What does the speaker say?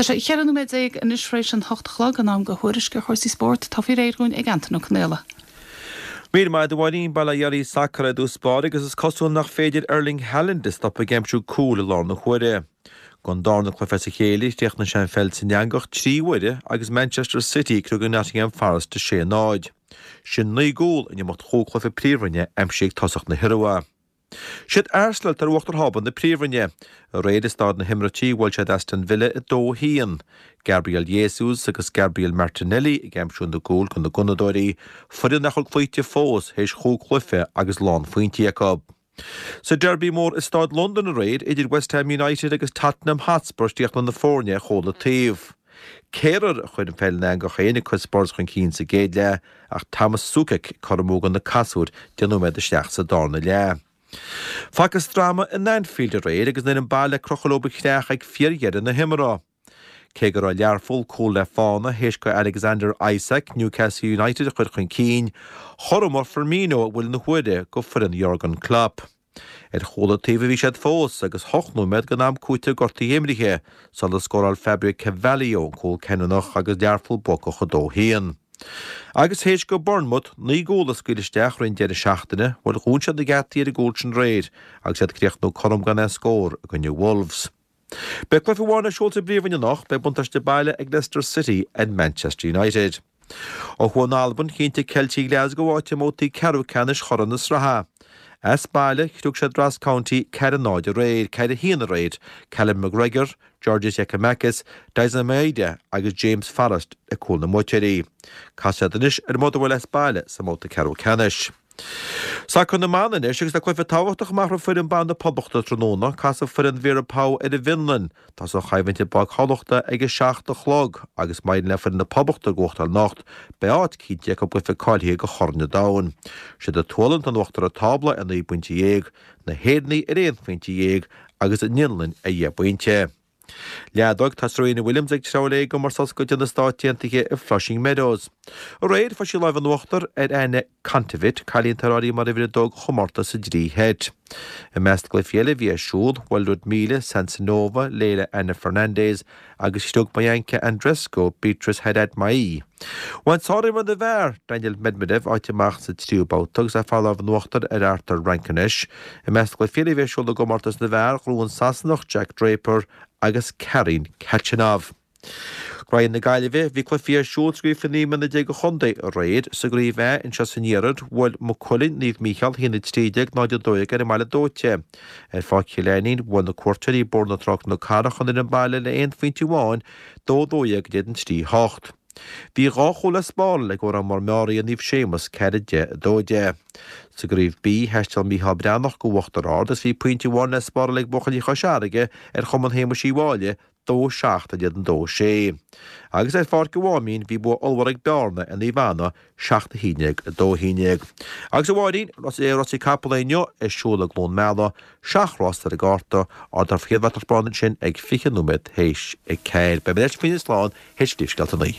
Tá sé 14 nóiméad anois tar éis an hocht a chlog, in am do thuairisc ar chúrsaí spóirt. Atá faoi réir dúinn ag Antain Ó Conaola. Míle maith agat a Mháirín. Bail ó Dhia oraibh sacar i dtús báire agus is cosúil nach féidir Erling Haaland a stop ag aimsiú cúil i lár na huaire. Don darna cluiche as a chéile, chríochnaigh sé an pheil san eangach 3 huaire agus Manchester City ag criogadh Nottingham Forest 6-0. Sin 9 gcúl in imeacht chúig chluiche Príomhroinne aimsithe ag tosach na hIorua. Siad Arsenal atá ar uachtar thábla na Príomhroinne. Aréir i Staid na hIomráití bhuail siad Aston Villa 2-1. Gabriel Jesus agus Gabriel Martinelli ag aimsiú na gcúl do na Gunnadóirí, foireann nach bhfuil cloíte fós théis chúig chluiche agus lánphointí acu. Sa Derby mór i Staid Londan aréir idir West Ham United agus Tottenham Hotspur chríochnaigh na foirne ar chúl an taobh. Kehrer a chuir an pheil ina eangach féin ag cur Spurs chun cinn sa gcéad leath ach Thomas Soucek ag cothromú do na casúir 10 nóiméad isteach sa darna leath. Facthas dráma in Anfield aréir agus an fhoireann baile ag crochadh leo a chreach ag fíordheireadh na himeartha. Cé go raibh Learpholl cúl le fána théis do Alexander Isak Newcastle United a chur chun cinn, chothromaigh Firmino i bhfuil na huaire do foireann Jurgen Klopp. Ar chúl an taobh a bhí siad fós agus hocht nóiméad den am cúitimh gortaithe imrithe sular scóráil Fabio Carvalho an cúl cinniúnach agus Learpholl buacach 2-1. Agus théis do Bournemouth 9 gcúl a scaoileadh isteach roimh an deireadh seachtaine, bhuel dhún siad na geataí ar an gcúl sin aréir agus iad ag críochnú cothrom gan aon scór i gcoinne Wolves. Beidh cluiche amháin ar siúl sa bPríomhroinn anocht, beidh buntáiste baile ag Leicester City ar Manchester United. Ó thuaidh in Albain, chinntigh Ceiltigh Glasgow áit i mbabhtaí ceathrú ceannais Chorn na Sraithe. As baile, chriog siad Ross County 4-0 aréir, 4-1 aréir, Callum McGregor, Georgios Giakoumakis, Daizen Maeda agus James Forrest le cúil na mbuaiteoirí. Casfaidh siad anois ar Motherwell as baile sa mbabhta ceathrú ceannais. Sacar na mban anois agus tá cluiche tábhachtach amach roimh foireann ban na Poblachta tráthnóna. Casfaidh foireann Vera Pauw ar an bhFionlainn. Tá an choimhlint i bPáirc Thamhlachta ag a 7 a chlog agus má éiríonn le foireann na Poblachta gnóthachtáil anocht, beidh áit cinnte acu i gcluiche cáilithe do Chorn an Domhain. Siad an tSualainn atá in uachtar an tábla ar 19 bpointe, na hÉireannaigh ar 11 phointe agus an Fhionlainn ar dheich bpointe. Leadóg, Tá Serena Williams ag treabhadh léi i gcomórtas oscailte na Stát Aontaithe i Flushing Meadows. Aréir, fuair sí lámh in uachtar ar Anett Kontaveit, cailín atá ar áireamh mar uimhir a dó don chomórtas sa dtrí sheit. I measc na gcluichí eile a bhí ar siúl, bhuail Liudmila Samsonova Leylah Annie Fernandez agus chriog Bianca Andreescu Beatriz Haddad Maia. Bhain sárimreoir na bhfear, Daniil Medvedev, áit amach sa tríú babhta agus é ag fáil lámh in uachtar ar Arthur Rankonesh. I measc na gcluichí eile a bhí ar siúl i gcomórtas na bhfear, ghnóthaigh an Sasanach Jack Draper agus Karen Khachanov. Graihagh na Gaillimhe, bhí cluichí ar siúl sa gcraobh faoi 19 mbliana do chontae aréir. Sa gcraobh A anseo san iarthar, bhuail Maigh Cuilinn, Naomh Mícheál 1-13, 0-12 ar an mBaile Dóite. Ar Pháirc Chill Ainnín, bhuail na cuairteoirí Bóthar na Trá-Cnoc Carrach an fhoireann baile le aon phointe amháin, 2-12 in éadan 3, 8. Bhí dhá chúl le spáráil ag Órán Mór Meáraí ar Naomh Séamus, 4, 10, 2, 10. Sa gcraobh B, thaisteal Mícheál Breathnach go Uachtar Ard agus bhí pointe amháin le spáráil ag buachaillí Chois Fharraige ar Chumann Shéamuis Uí Mháille, 2, 7 in éadan 2, 6. Agus ar Pháirc an Mháimín, bhí bua ollmhór ag Bearna ar Naomh Anna, 7, 11, 2, 11. Agus a Mháirín, rásaí capall inniu ar siúl i gCluain Meala, seacht rás ar an gcárta, ardófar an chéad bhratach bán ansin ag 20 nóiméad théis a 4. Beidh mé ar ais faoina slán théis phríomhscéalta 9.